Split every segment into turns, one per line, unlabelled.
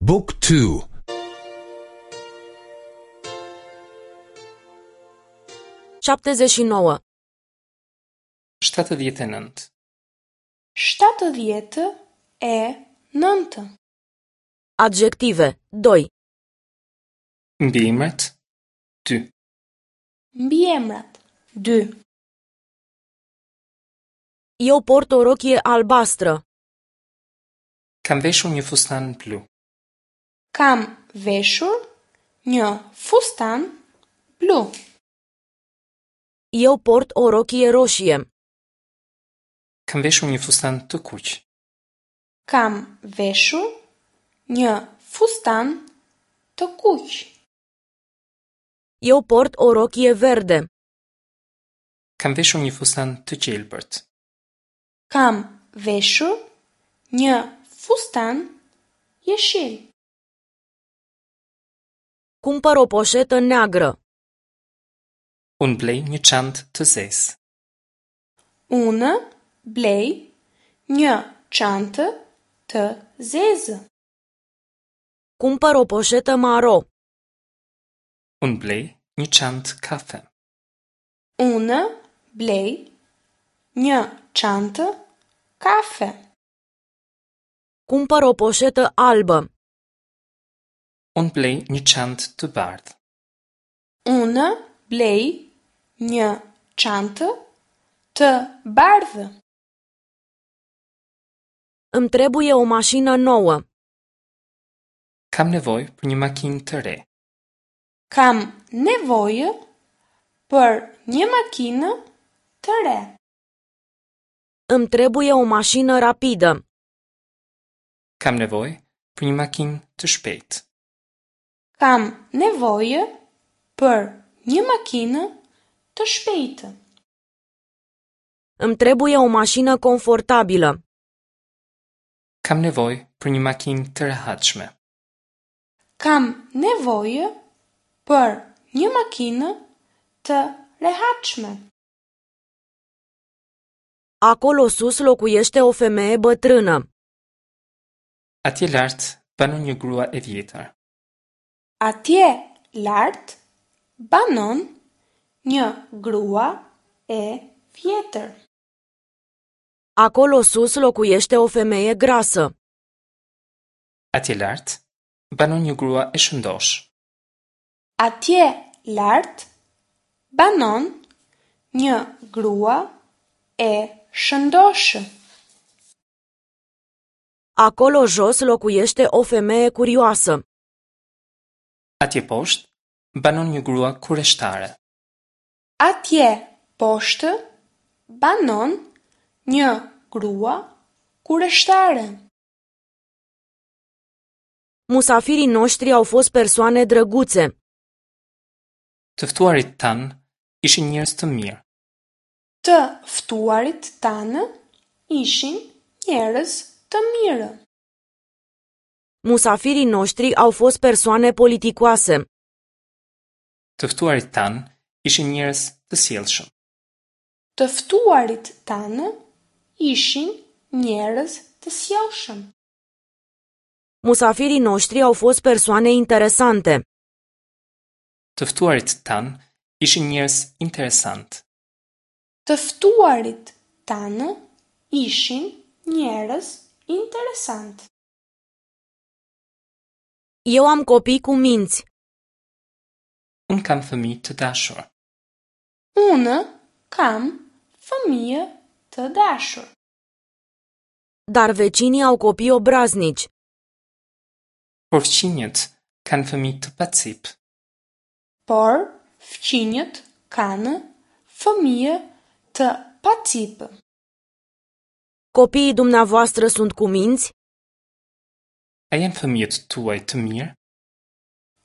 บุ๊กทู
79.
79.
79.
Adjective 2.
Mbiemrat 2.
Mbiemrat 2.
Eu port o rochie albastră.
Kam veshur një fustan blu.
Kam veshur një fustan blu.
Eu port o rochie roșie.
Kam veshur një fustan të kuq.
Kam veshur një fustan të kuq.
Eu port o rochie verde.
Kam veshur një fustan të gjelbërt.
Kam veshur një fustan jeshil.
Cumpăr o poșetă neagră.
Unë blej një çantë të zezë.
Unë blej një çantë të zezë.
Cumpăr o poșetă maro.
Unë blej një çantë kafe.
Unë blej një çantë kafe.
Cumpăr o poșetă albă.
Unë blej një çantë të bardhë.
Unë blej një çantë të bardhë.
Îmi trebuie o mașină nouă.
Kam nevojë për një makinë të re.
Kam nevojë për një makinë të re.
Îmi trebuie o mașină rapidă.
Kam nevojë për një makinë të shpejtë.
Kam nevojë për një makinë të shpejtë.
Îmi trebuie o mașină confortabilă.
Kam nevojë për një makinë të rehatshme.
Kam nevojë për një makinë të rehatshme.
Acolo sus locuiește o femeie bătrână.
Atje lart banon një grua e vjetër.
Atje lart banon një grua e vjetër.
Acolo sus locuiește o femeie grasă.
Atje lart banon një grua e shëndoshë.
Atje lart banon një grua e shëndoshë.
Acolo jos locuiește o femeie curioasă.
Atje poshtë banon një grua kureshtare.
Atje poshtë banon një grua kureshtare.
Musafirii noștri au fost persoane drăguțe.
Të ftuarit tanë ishin njerëz të mirë.
Të ftuarit tanë ishin njerëz të mirë.
Musafirii noștri au fost persoane politicoase.
Të ftuarit tanë ishin njerëz të sjellshëm.
Të ftuarit tanë ishin njerëz të sjellshëm.
Musafirii noștri au fost persoane interesante.
Të ftuarit tanë ishin njerëz interesant.
Të ftuarit tanë ishin njerëz interesant.
Eu am copii cu minți.
Unë kam fëmijë të dashur.
Unë kam fëmijë të dashur.
Dar vecinii au copii obraznici.
Por fqinjët kanë fëmijë të pacip.
Por fqinjët kanë fëmijë të pacip.
Copiii dumneavoastră sunt cu minți?
A janë fëmijët tuaj të mirë?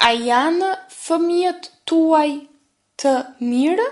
A janë fëmijët tuaj të mirë?